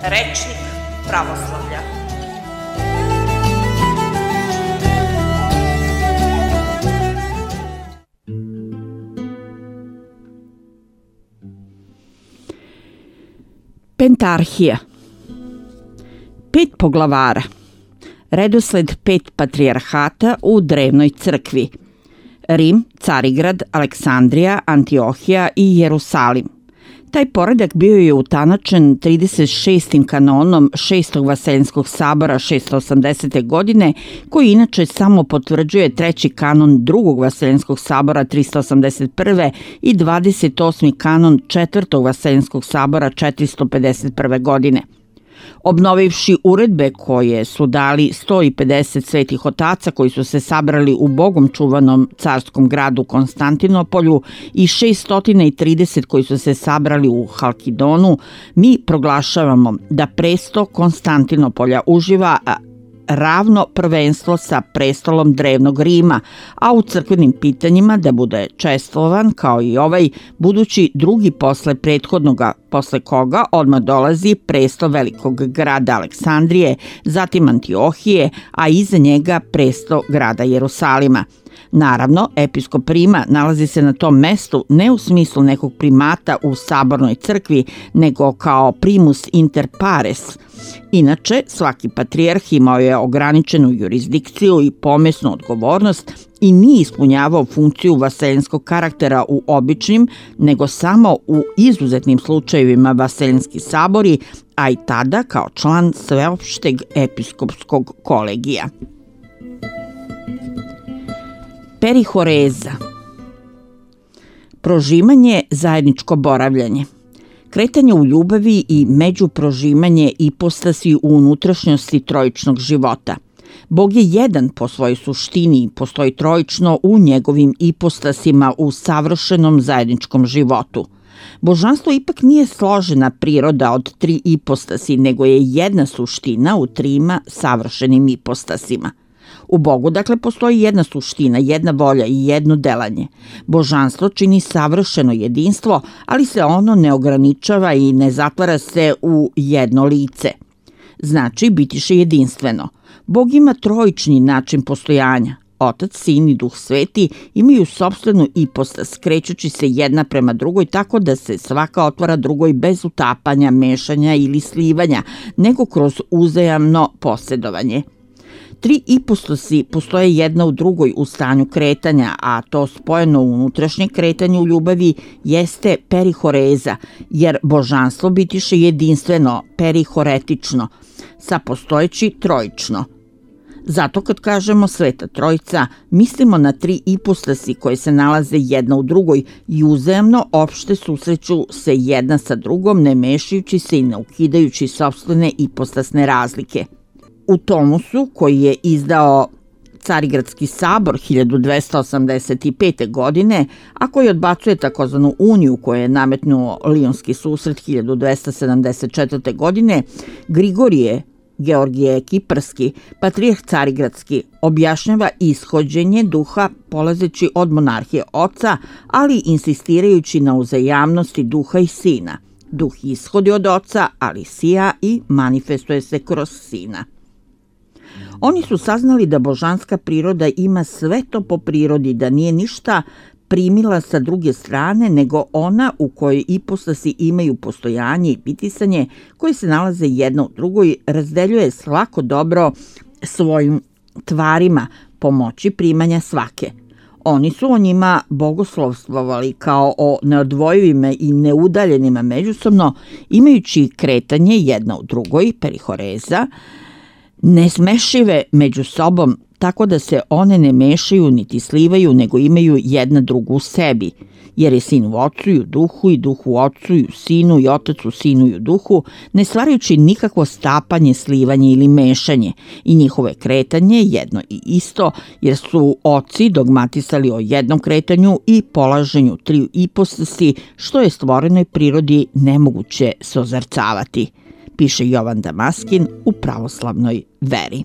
Rečnik pravoslavlja. Pentarhija. 5 poglavara. Redosled 5 patrijarhata u drevnoj crkvi. Rim, Carigrad, Aleksandrija, Antiohija i Jerusalim. Taj poredak bio je utanačen 36. kanonom 6. Vaseljenskog sabora 680. godine, koji inače samo potvrđuje 3. kanon 2. Vaseljenskog sabora 381. i 28. kanon 4. Vaseljenskog sabora 451. godine. Obnovivši uredbe koje su dali 150 svetih otaca koji su se sabrali u bogom čuvanom carskom gradu Konstantinopolju i 630 koji su se sabrali u Halkidonu, mi proglašavamo da presto Konstantinopolja uživa ravno prvenstvo sa prestolom drevnog Rima, a u crkvenim pitanjima da bude čestvovan kao i ovaj budući drugi posle prethodnoga, posle koga odmah dolazi presto velikog grada Aleksandrije, zatim Antiohije, a iza njega presto grada Jerusalima. Naravno, episkop Rima nalazi se na tom mestu ne u smislu nekog primata u sabornoj crkvi, nego kao primus inter pares. Inače, svaki patrijarh imao je ograničenu jurisdikciju i pomesnu odgovornost i nije ispunjavao funkciju vaseljenskog karaktera u običnim, nego samo u izuzetnim slučajevima vaseljenski sabori, a i tada kao član sveopšteg episkopskog kolegija. Perihoreza. Prožimanje, zajedničko boravljanje. Kretanje u ljubavi i međuprožimanje ipostasi u unutrašnjosti trojičnog života. Bog je jedan po svojoj suštini i postoji trojično u njegovim ipostasima u savršenom zajedničkom životu. Božanstvo ipak nije složena priroda od 3 ipostasi, nego je jedna suština u 3 savršenim ipostasima. U Bogu, dakle, postoji jedna suština, jedna volja i jedno delanje. Božanstvo čini savršeno jedinstvo, ali se ono ne ograničava i ne zatvara se u jedno lice. Znači, bitiše jedinstveno. Bog ima trojični način postojanja. Otac, Sin i Duh Sveti imaju sopstvenu ipostas, krećući se jedna prema drugoj tako da se svaka otvara drugoj bez utapanja, mešanja ili slivanja, nego kroz uzajamno posjedovanje. 3 ipostasi postoje jedna u drugoj u stanju kretanja, a to spojeno unutrašnje kretanje u ljubavi jeste perihoreza, jer božanstvo bitiše jedinstveno, perihoretično, sapostojeći trojično. Zato kad kažemo Sveta Trojica, mislimo na 3 ipostasi koje se nalaze jedna u drugoj i uzajamno opšte susreću se jedna sa drugom, ne mešajući se i ne ukidajući sopstvene ipostasne razlike. U Tomusu, koji je izdao Carigradski sabor 1285. godine, a koji odbacuje takozvanu uniju koju je nametnuo Lionski susret 1274. godine, Grigorije Georgije Kiparski, patrijarh Carigradski, objašnjava ishođenje duha polazeći od monarhije oca, ali insistirajući na uzajamnosti duha i sina. Duh ishodi od oca, ali sija i manifestuje se kroz sina. Oni su saznali da božanska priroda ima sve to po prirodi, da nije ništa primila sa druge strane, nego ona u kojoj ipostasi imaju postojanje i bitisanje, koje se nalaze jedna u drugoj, razdeljuje svako dobro svojim tvarima pomoći primanja svake. Oni su o njima bogoslovstvovali kao o neodvojivima i neudaljenima međusobno, imajući kretanje jedna u drugoj, perihoreza, nesmešive među sobom, tako da se one ne mešaju niti slivaju, nego imaju jedna drugu u sebi, jer je sin u ocu i u duhu i duh u ocu i u sinu i otac u sinu i u duhu, ne stvarajući nikakvo stapanje, slivanje ili mešanje, i njihovo je kretanje jedno i isto, jer su oci dogmatisali o jednom kretanju i polaženju 3 ipostasi, što je stvorenoj prirodi nemoguće sozarcavati, piše Jovan Damaskin u pravoslavnoj veri.